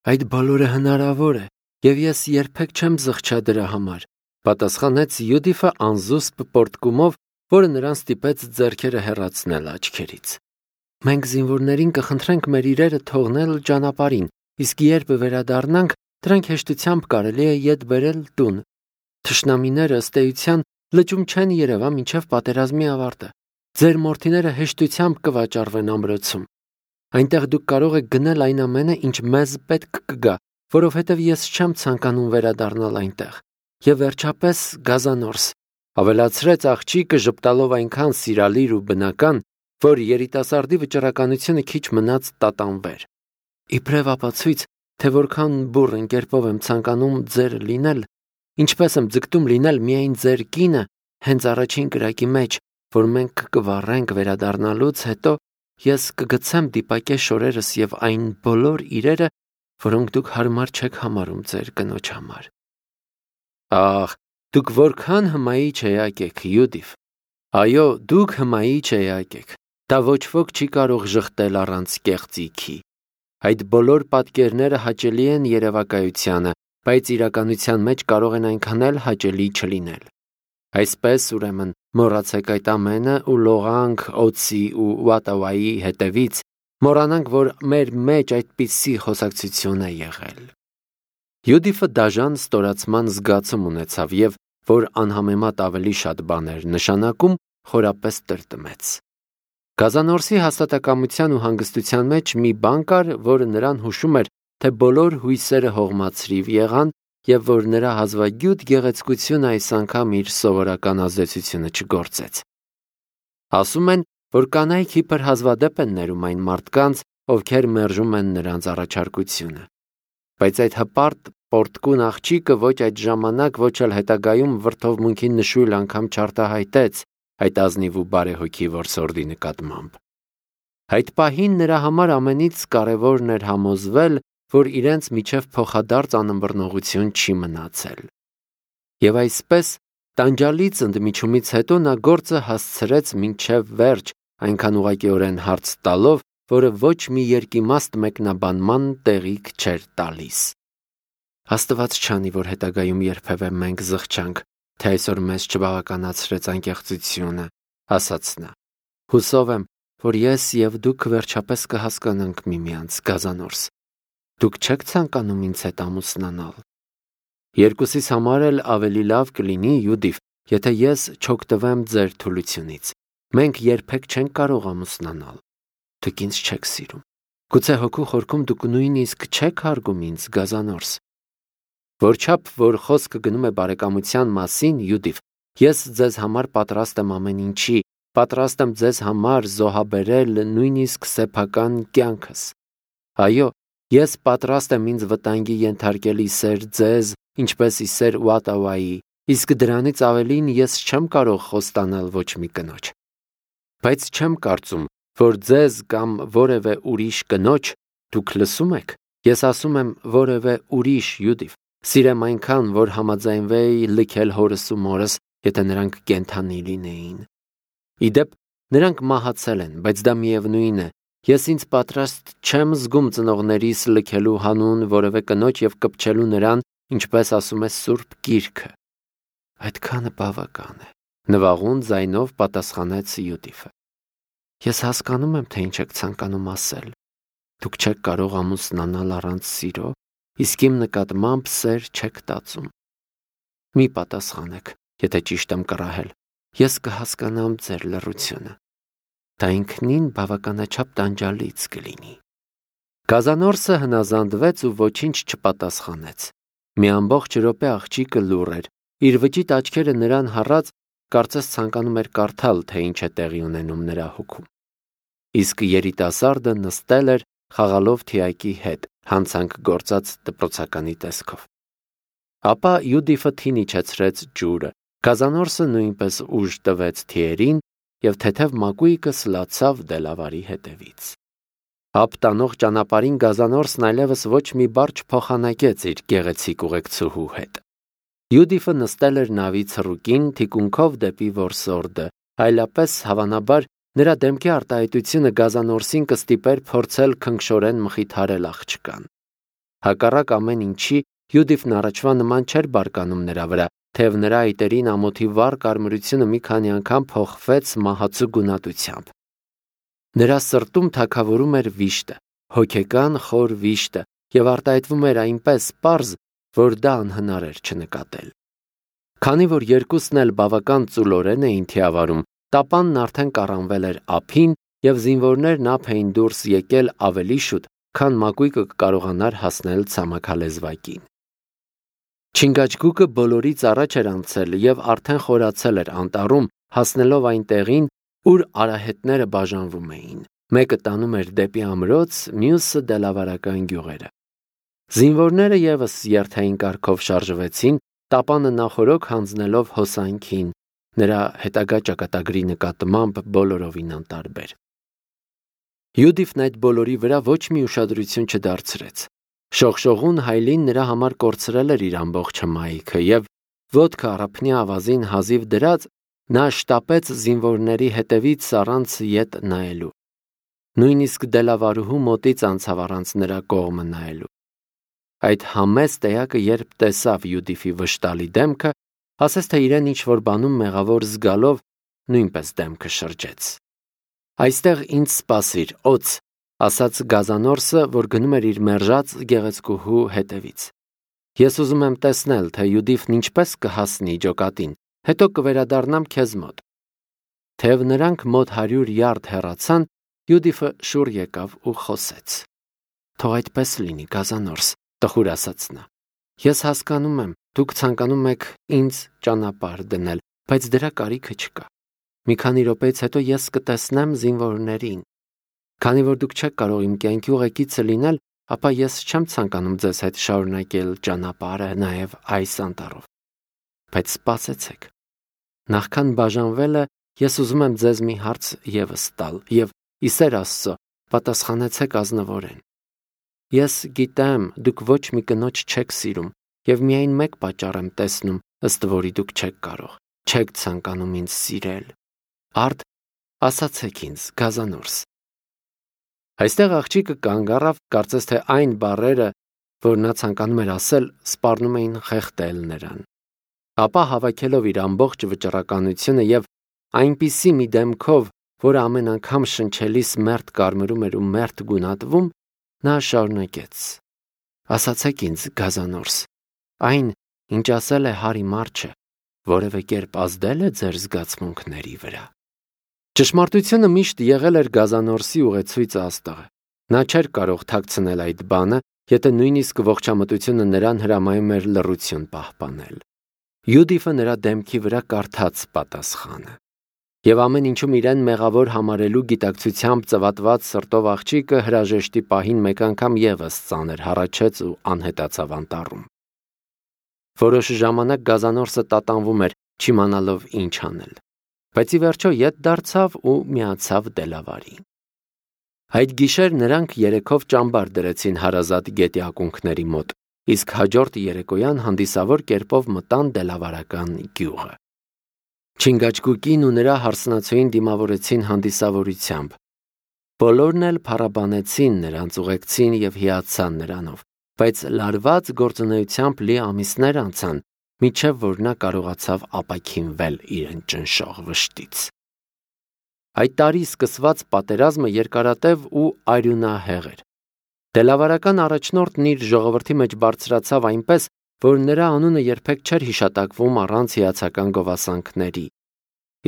Այդ բոլորը հնարավոր է, եւ ես երբեք չեմ զղջա դրա համար, պատասխանեց Յուդիֆը անզուսպ պոռթկումով, որը նրան ստիպեց ձեռքերը հեռացնել աչքերից։ Մենք զինվորներին կխնդրենք մեր իրերը թողնել ճանապարհին, իսկ երբ վերադառնանք, դրանք հեշտությամբ կարելի է ետ բերել տուն։ Թշնամիները ըստ էության լճում չեն երևա մինչև պատերազմի ավարտը։ Ձեր մորթիները հեշտությամբ կվաճառվեն ամրոցում։ Այնտեղ դուք կարող եք գնել այն ամենը, ինչ մեզ պետք կգա, որովհետև ես չեմ ցանկանում վերադառնալ այնտեղ։ Եվ վերջապես գազանորս, ավելացրեց աղջիկը ժպտալով այնքան սիրալիր ու բնական, որ երիտասարդի վճռականությունը քիչ մնաց տատանվեր։ Իբրև ապացույց, թե որքան բուռն կերպով եմ ցանկանում ձեր լինել, ինչպես եմ ձգտում լինել միայն ձեր կինը, հենց առաջին կրակի մեջ, որ մենք կվառենք վերադառնալուց հետո, ես կգցեմ դիպակե շորերս եւ այն բոլոր իրերը, որոնք դուք հարմար չեք համարում ձեր կնոջ համար։ Ահ, դուք որքան հմայիչ էակ եք, Յուդիֆ։ Այո, դուք հմայիչ էակ եք։ Դա ոչ ոք չի կարող ժխտել առանց կեղծիքի։ Այդ բոլոր պատկերները հաճելի են երևակայությանը, բայց իրականության մեջ կարող են այնքան էլ հաճելի չլինել։ Այսպես, ուրեմն, մոռացեք այդ ամենը ու լողանք օծի ու Ուատավայի հետևից, մոռանանք, որ մեր մեջ այդպիսի խոսակցություն է եղել։ Յուդիֆը դաժան ստորացման զգացում ունեցավ եւ, որ անհամեմատ ավելի շատ բաներ նշանակում, խորապես տրտմեց։ Գազանորսի հաստատակամության ու հանգստության մեջ մի բան կար, որը նրան հուշում էր, թե բոլոր հույսերը հողմացրիվ եղան եւ որ նրա հազվագյուտ գեղեցկությունը այս անգամ իր սովորական ազդեցությունը չգործեց։ Ասում են, որ կանայք իբր հազվադեպ են ներում այն մարդկանց, ովքեր մերժում են նրանց առաջարկությունը։ Բայց այդ հպարտ պոռթկուն աղջիկը ոչ այդ ժամանակ, ոչ էլ հետագայում վրդովմունքի նշույլ անգամ չարտահայտեց այդ ազնիվ ու բարեհոգի որսորդի նկատմամբ։ Այդ պահին նրա համար ամենից կարևորն էր համոզվել, որ իրենց միջև փոխադարձ անըմբռնողություն չի մնացել։ Եվ այսպես, տանջալից ընդմիջումից հետո նա գործը հասցրեց մինչև վերջ, այնքան ուղղակիորեն հարց տալով, որը ոչ մի երկիմաստ մեկնաբանման տեղիք չէր տալիս։ Աստված չանի, որ հետագայում երբևէ մենք զղջանք, թե այսօր մեզ չբավականացրեց անկեղծությունը, ասաց նա։ Հուսով եմ, որ ես եւ դուք վերջապես կհասկանանք միմյանց, գազանորս։ Դուք չեք ցանկանում ինձ հետ ամուսնանալ։ Երկուսիս համար էլ ավելի լավ կլինի, Յուդիֆ, եթե ես չօգտվեմ ձեր թուլությունից։ Մենք երբեք չենք կարող ամուսնանալ։ Դուք ինձ չեք սիրում։ Գուցե հոգու խորքում դուք նույնիսկ չեք հարգում ինձ, գազանորս։ Որչափ որ խոսքը գնում է բարեկամության մասին, Յուդիֆ, ես ձեզ համար պատրաստ եմ ամեն ինչի, պատրաստ եմ ձեզ համար զոհաբերել նույնիսկ սեփական կյանքս։ Այո, ես պատրաստ եմ ինձ վտանգի ենթարկել իսեր ձեզ, ինչպես իսեր Ուատավայի, իսկ դրանից ավելին ես չեմ կարող խոստանալ ոչ մի կնոջ։ Բայց չեմ կարծում, որ ձեզ կամ որևէ ուրիշ կնոջ դուք լսում եք։ Ես ասում եմ որևէ ուրիշ, Յուդիֆ, սիրեմ այնքան, որ համաձայնվեի լքել հորս ու մորս, եթե նրանք կենդանի լինեին։ Իդեպ, նրանք մահացել են, բայց դա միևնույն է։ Ես ինձ պատրաստ չեմ զգում ծնողներիս լքելու հանուն որևէ կնոջ եւ կպչելու նրան, ինչպես ասում է Սուրբ Գիրքը։ Այդքանը բավական է, նվաղուն ձայնով պատասխանեց Յուդիֆը։ Ես հասկանում եմ, թե ինչ եք ցանկանում ասել։ Դուք չեք կարող ամուսնանալ առանց սիրո, իսկ իմ նկատմամբ սեր չեք տածում։ Մի պատասխանեք, եթե ճիշտ եմ կռահել։ Ես կհասկանամ ձեր լռությունը։ Դա ինքնին բավականաչափ տանջալից կլինի։ Գազանորսը հնազանդվեց ու ոչինչ չպատասխանեց։ Մի ամբողջ րոպե աղջիկը լուռ էր։ Իր վճիտ աչքերը նրան հառած, կարծես ցանկանում էր կարդալ, թե ինչ է տեղի ունենում նրա հոգում։ Իսկ երիտասարդը նստել էր խաղալով թիակի հետ, հանցանք գործած դպրոցականի տեսքով։ Ապա Յուդիֆը թին իջեցրեց ջուրը, գազանորսը նույնպես ուժ տվեց թիերին եւ թեթև մակույկը սլացավ դելավարի հետևից։ Ապտանող ճանապարհին գազանորսն այլևս ոչ մի բառ չփոխանակեց իր գեղեցիկ ուղեկցուհու հետ։ Յուդիֆը նստել էր նավի ցռուկին թիկունքով դեպի որսորդը, այլապես հավանաբար նրա դեմքի արտահայտությունը գազանորսին կստիպեր փորձել քնքշորեն մխիթարել աղջկան։ Հակառակ ամեն ինչի Յուդիֆն առաջվա նման չէր բարկանում նրա վրա, թեև նրա այտերին ամոթի վառ կարմրությունը մի քանի անգամ փոխվեց մահացու գունատությամբ։ Նրա սրտում թագավորում էր վիշտը, հոգեկան խոր վիշտը, եւ արտահայտվում էր այնպես պարզ, որ դա անհնար էր չնկատել։ Քանի որ երկուսն էլ բավական ծուլորեն էին թիավարում, տապանն արդեն կառանվել էր ափին եւ զինվորներն ափ էին դուրս եկել ավելի շուտ, քան մակույկը կարողանար հասնել ցամաքալեզվակին։ Չինգաչգուկը բոլորից առաջ էր անցել եւ արդեն խորացել էր անտառում, հասնելով այն տեղին, ուր արահետները բաժանվում էին։ Մեկը տանում էր դեպի ամրոց, մյուսը դելավարական գյուղերը։ Զինվորները եւս երթային կարգով շարժվեցին, տապանը նախորոք հանձնելով հոսանքին, նրա հետագա ճակատագրի նկատմամբ բոլորովին անտարբեր։ Յուդիֆն այդ բոլորի վրա ոչ մի ուշադրություն չդարձրեց։ Շողշողուն հայլին նրա համար կորցրել էր իր ամբողջ հմայքը եւ ոտքը առափնյա ավազին հազիվ դրած նա շտապեց զինվորների հետևից առանց ետ նայելու։ Նույնիսկ դելավարուհու մոտից անցավ առանց նրա կողմը նայելու։ Այդ համեստ էակը երբ տեսավ Յուդիֆի վշտալի դեմքը, ասես թե իրեն ինչ-որ բանում մեղավոր զգալով նույնպես դեմքը շրջեց։ «Այստեղ ինձ սպասիր, օձ», ասաց գազանորսը, որ գնում էր իր մերժած գեղեցկուհու հետևից։ «Ես ուզում եմ տեսնել, թե Յուդիֆն ինչպես կհասնի ջոկատին, հետո կվերադառնամ քեզ մոտ»։ Թեև նրանք մոտ 100 յարդ հեռացան, Յուդիֆը շուռ եկավ ու խոսեց։ «Թող այդպես լինի, գազանորս», տխուր ասաց նա։ «Ես հասկանում եմ, դուք ցանկանում եք ինձ ճանապարհ դնել, բայց դրա կարիքը չկա։ Մի քանի րոպեից հետո ես կտեսնեմ զինվորներին։ Քանի որ դուք չեք կարող իմ կյանքի ուղեկիցը լինել, ապա ես չեմ ցանկանում ձեզ հետ շարունակել ճանապարհը նաև այս անտառով։ Բայց սպասեցեք։ Նախքան բաժանվելը ես ուզում եմ ձեզ մի հարց եւս տալ եւ ի սեր Աստծո պատասխանեցեք ազնվորեն։ Ես գիտեմ, դուք ոչ մի կնոջ չեք սիրում եւ միայն մեկ պատճառ եմ տեսնում, ըստ որի դուք չեք կարող, չեք ցանկանում ինձ սիրել։ Արդ ասացեք ինձ, գազանորս։ Այստեղ աղջիկը կանգ առավ, կարծես թե այն բառերը, որ նա ցանկանում էր ասել, սպառնում էին խեղդել նրան։ Ապա հավաքելով իր ամբողջ վճռականությունը եւ այնպիսի մի դեմքով, որը ամեն անգամ շնչելիս մերթ կարմրում էր ու մերթ գունատվում, նա շարունակեց. Ասացեք ինձ, գազանորս, այն, ինչ ասել է Հարի Մարչը, որևէ կերպ ազդել է ձեր զգացմունքների վրա։ Ճշմարտությունը միշտ եղել էր գազանորսի ուղեցույց աստղը։ Նա չէր կարող թաքցնել այդ բանը, եթե նույնիսկ ողջամտությունը նրան հրամայում էր լռություն պահպանել։ Յուդիֆը նրա դեմքի վրա կարդաց պատասխանը։ Եվ ամեն ինչում իրեն մեղավոր համարելու գիտակցությամբ ծվատված սրտով աղջիկը հրաժեշտի պահին մեկ անգամ եւս ծանր հառաչեց ու անհետացավ անտառում։ Որոշ ժամանակ գազանորսը տատանվում էր, չիմանալով ինչ անել, բայց ի վերջո ետ դարձավ ու միացավ դելավարին։ Այդ գիշեր նրանք երեքով ճամբար դրեցին հարազատ գետի ակունքների մոտ, իսկ հաջորդ երեկոյան հանդիսավոր կերպով մտան դելավարական գյուղը։ Չինգաչգուկին ու նրա հարսնացուին դիմավորեցին հանդիսավորությամբ։ Բոլորն էլ փառաբանեցին նրանց, ուղեկցին եւ հիացան նրանով, բայց լարված գործունեությամբ լի ամիսներ անցան, մինչև որ նա կարողացավ ապաքինվել իրեն ճնշող վշտից։ Այդ տարի սկսված պատերազմը երկարատև ու արյունահեղ էր։ Դելավարական առաջնորդն իր ժողովրդի մեջ բարձրացավ այնպես, որ նրա անունը երբեք չէր հիշատակվում առանց հիացական գովասանքների։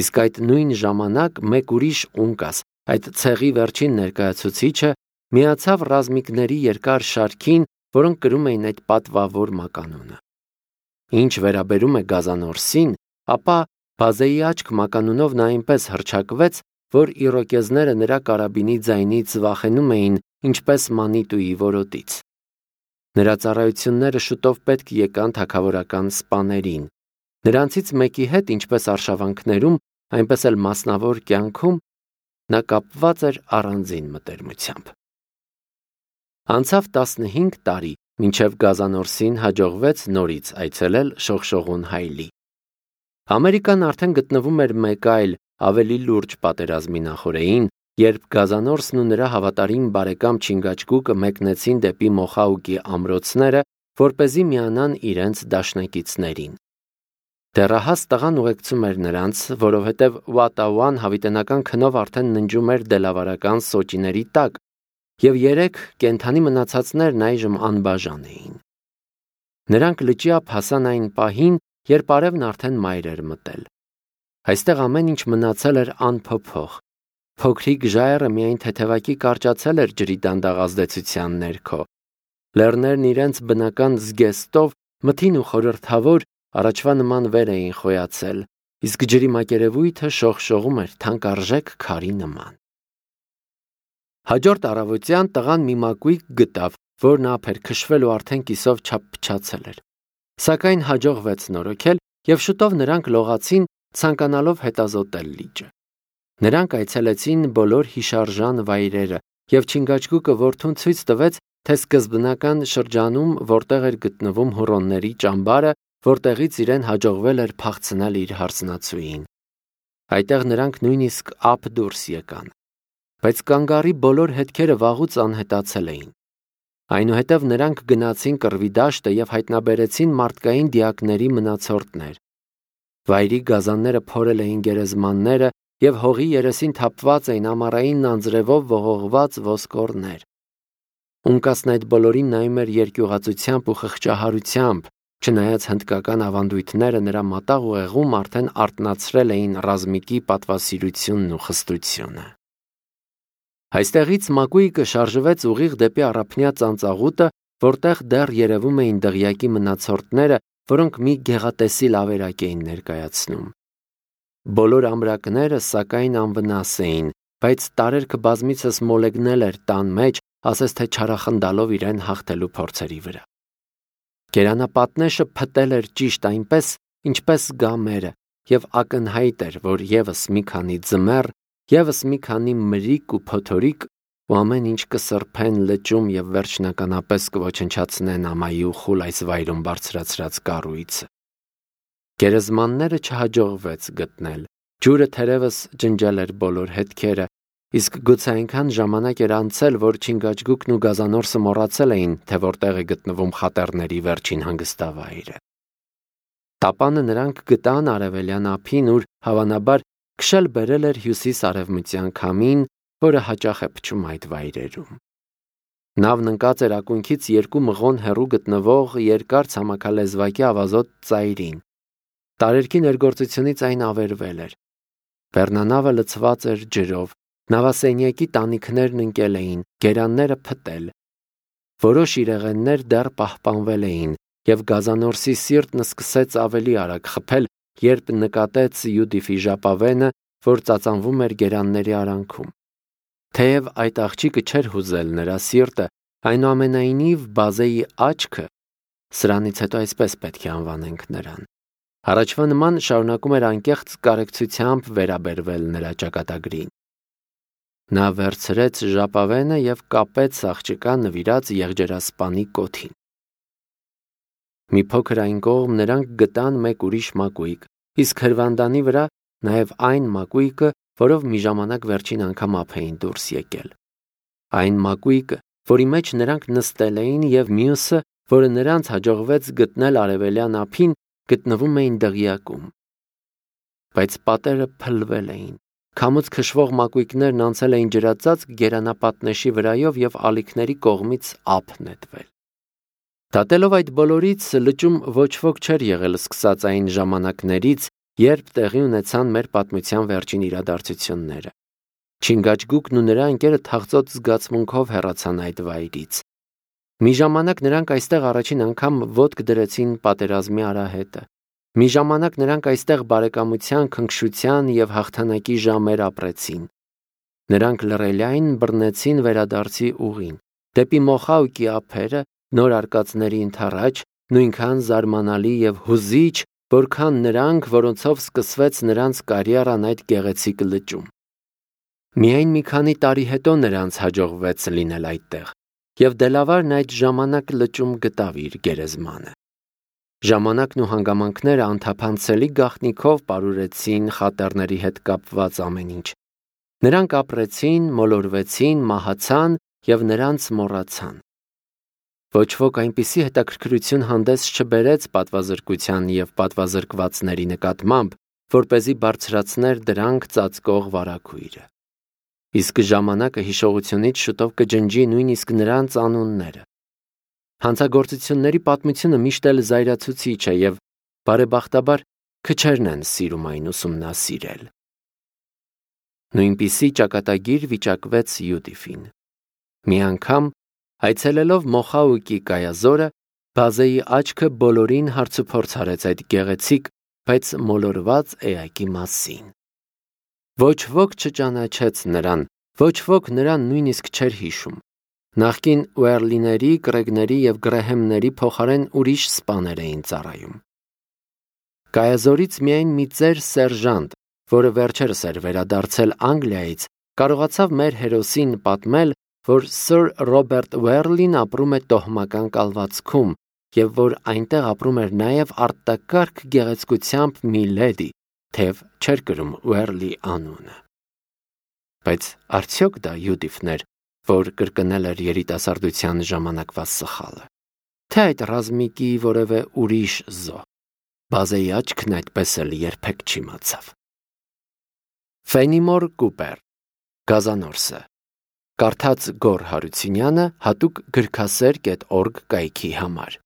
Իսկ այդ նույն ժամանակ մեկ ուրիշ ունկաս, այդ ցեղի վերջին ներկայացուցիչը, միացավ ռազմիկների երկար շարքին, որոնք կրում էին այդ պատվավոր մականունը։ Ինչ վերաբերում է գազանորսին, ապա բազեի աչք մականունով նա այնպես հռչակվեց, որ իրոկեզները նրա կարաբինի ձայնից վախենում էին, ինչպես մանիտուի որոտից։ Նրա ծառայությունները շուտով պետք եկան թագավորական սպաներին։ Նրանցից մեկի հետ, ինչպես արշավանքներում, այնպես էլ մասնավոր կյանքում, նա կապված էր առանձին մտերմությամբ։ Անցավ 15 տարի, մինչև գազանորսին հաջողվեց նորից այցելել շողշողուն հայլի։ Ամերիկան արդեն գտնվում էր մեկ այլ, ավելի լուրջ պատերազմի նախօրեին, Երբ գազանորսն ու նրա հավատարիմ բարեկամ Չինգաչգուկը մեկնեցին դեպի Մոխաուկի ամրոցները, որպեսզի միանան իրենց դաշնակիցներին։ Դեռահաս տղան ուղեկցում էր նրանց, որովհետև Ուատաուան հավիտենական քնով արդեն ննջում էր դելավարական սոճիների տակ, և 3 կենդանի մնացածներն այժմ անբաժան էին։ Նրանք լճի ափ հասան այն պահին, երբ արևն արդեն մայր էր մտել։ Այստեղ ամեն ինչ մնացել էր անփոփոխ։ Փոքրիկ ժայռը միայն թեթևակի կարճացել էր ջրի դանդաղ ազդեցության ներքո։ Լեռներն իրենց բնական զգեստով մթին ու խորհրդավոր առաջվա նման վեր էին խոյացել, իսկ ջրի մակերևույթը շողշողում էր թանկարժեք քարի նման։ Հաջորդ առավոտյան տղան մի մակույկ գտավ, որն ափ էր քշվել ու արդեն կիսով չափ փչացել էր։ Սակայն հաջողվեց նորոգել, և շուտով նրանք լողացին, ցանկանալով հետազոտել լիճը։ Նրանք այցելեցին բոլոր հիշարժան վայրերը, և Չինգաչգուկը որդուն ցույց տվեց, թե սկզբնական շրջանում որտեղ էր գտնվում հուռոնների ճամբարը, որտեղից իրեն հաջողվել էր փախցնել իր հարսնացուին։ Այդտեղ նրանք նույնիսկ ափ դուրս եկան։ Բայց կանգառի բոլոր հետքերը վաղուց անհետացել էին։ Այնուհետև նրանք գնացին կռվի դաշտը և հայտնաբերեցին մարդկային դիակների մնացորդներ։ Վայրի գազանները փորել էին գերեզմանները, և հողի երեսին թափված էին ամառային անձրևով ողողված ոսկորներ։ Ունկասն այդ բոլորին նայում էր երկյուղածությամբ ու խղճահարությամբ, չնայած հնդկական ավանդույթները նրա մատաղ ուղեղում արդեն արթնացրել էին ռազմիկի պատվասիրությունն ու խստությունը։ Այստեղից մակույկը շարժվեց ուղիղ դեպի առափնյա ծանծաղուտը, որտեղ դեռ երևում էին դղյակի մնացորդները, որոնք մի գեղատեսիլ ավերակ էին ներկայացնում։ Բոլոր ամրակները սակայն անվնաս էին, բայց տարերքը բազմիցս մոլեգնել էր տան մեջ, ասես թե չարախնդալով իրեն հաղթելու փորձերի վրա։ Գերանապատնեշը փտել էր ճիշտ այնպես, ինչպես գամերը, և ակնհայտ էր, որ ևս մի քանի ձմեռ, ևս մի քանի մրիկ ու փոթորիկ ու ամեն ինչ կսրբեն լճում և վերջնականապես կոչնչացնեն ամայի ու խուլ այս վայրում բարձրացրած կառույցը։ Գերեզմանները չհաջողվեց գտնել, ջուրը թերևս ջնջել էր բոլոր հետքերը, իսկ գուցե այնքան ժամանակ էր անցել, որ Չինգաչգուկն ու գազանորսը մոռացել էին, թե որտեղ է գտնվում խատեռների վերջին հանգստավայրը։ Տապանը նրանք գտան արևելյան ափին, ուր հավանաբար քշել բերել էր հյուսիս-արևմտյան քամին, որը հաճախ է փչում այդ վայրերում։ Նավն ընկած էր ակունքից 2 մղոն հեռու գտնվող երկար ցամաքալեզվակի ավազոտ ծայրին։ Տարերքի ներգործությունից այն ավերվել էր։ Բեռնանավը լցված էր ջրով, նավասենյակի տանիքներն ընկել էին, գերանները փտել։ Որոշ իրեղեններ դեռ պահպանվել էին, և գազանորսի սիրտն սկսեց ավելի արագ խփել, երբ նկատեց Յուդիֆի ժապավենը, որ ծածանվում էր գերանների արանքում։ Թեև այդ աղջիկը չէր հուզել նրա սիրտը, այնուամենայնիվ բազեի աչքը, սրանից հետո այսպես պետք է անվանենք նրան, առաջվա նման շարունակում էր անկեղծ կարեկցությամբ վերաբերվել նրա ճակատագրին։ Նա վերցրեց ժապավենը և կապեց աղջկա նվիրած եղջերասպանի կոթին։ Մի փոքր այն կողմ նրանք գտան մեկ ուրիշ մակույկ, իսկ հրվանդանի վրա նաև այն մակույկը, որով մի ժամանակ վերջին անգամ ափ էին դուրս եկել։ Այն մակույկը, որի մեջ նրանք նստել էին, և մյուսը, որը նրանց հաջողվեց գտնել արևելյան ափին, գտնվում էին դղյակում։ Բայց պատերը փլվել էին։ Քամուց քշվող մակույկներն անցել էին ջրածածկ գերանապատնեշի վրայով և ալիքների կողմից ափ նետվել։ Դատելով այդ բոլորից, լճում ոչ ոք չէր եղել սկսած այն ժամանակներից, երբ տեղի ունեցան մեր պատմության վերջին իրադարձությունները։ Չինգաչգուկն ու նրա ընկերը թախծոտ զգացմունքով հեռացան այդ վայրից։ Մի ժամանակ նրանք այստեղ առաջին անգամ ոտք դրեցին պատերազմի արահետը։ Մի ժամանակ նրանք այստեղ բարեկամության, քնքշության և հաղթանակի ժամեր ապրեցին։ Նրանք լռելիայն բռնեցին վերադարձի ուղին։ Դեպի Մոխաուկի ափերը, նոր արկածների ընդառաջ, նույնքան զարմանալի և հուզիչ, որքան նրանք, որոնցով սկսվեց նրանց կարիերան այդ գեղեցիկ լճում։ Միայն մի քանի տարի հետո նրանց հաջողվեց լինել այդտեղ, և Դելավարն այդ ժամանակ լճում գտավ իր գերեզմանը։ Ժամանակն ու հանգամանքները անթափանցելի գաղտնիքով պարուրեցին խատեռների հետ կապված ամեն ինչ։ Նրանք ապրեցին, մոլորվեցին, մահացան և նրանց մոռացան։ Ոչ ոք այնպիսի հետաքրքրություն հանդես չբերեց պատվազրկության և պատվազրկվածների նկատմամբ, որպեսզի բարձրացներ դրանք ծածկող վարագույրը։ Իսկ ժամանակը հիշողությունից շուտով կջնջի նույնիսկ նրանց անունները։ Հանցագործությունների պատմությունը միշտ էլ զայրացուցիչ է և բարեբախտաբար քչերն են սիրում այն ուսումնասիրել։ Նույնպիսի ճակատագիր վիճակվեց Յուդիֆին։ Մի անգամ, այցելելով Մոխաուկի կայազորը, Բազեի աչքը բոլորին հարցուփորձ արեց այդ գեղեցիկ, բայց մոլորված էակի մասին։ Ոչ ոք չճանաչեց նրան, ոչ ոք նրան նույնիսկ չէր հիշում։ Նախկին Ուերլիների, Կրեգների և Գրեհեմների փոխարեն ուրիշ սպաներ էին ծառայում։ Կայազորից միայն մի ծեր սերժանտ, որը վերջերս էր վերադարձել Անգլիայից, կարողացավ մեր հերոսին պատմել, որ Սըր Ռոբերտ Ուերլին ապրում է տոհմական կալվածքում և որ այնտեղ ապրում էր նաև արտակարգ գեղեցկությամբ մի լեդի, թեև չէր կրում Ուերլի անունը։ Բայց արդյոք դա Յուդիֆն էր, որ կրկնել էր երիտասարդության ժամանակվա սխալը, թե այդ ռազմիկի որևէ ուրիշ զոհ։ Բազեի աչքն այդպես էլ երբեք չիմացավ։ Ֆենիմոր Կուպեր, Գազանորսը, կարդաց Գոռ Հարությունյանը հատուկ գրքասեր.org կայքի համար։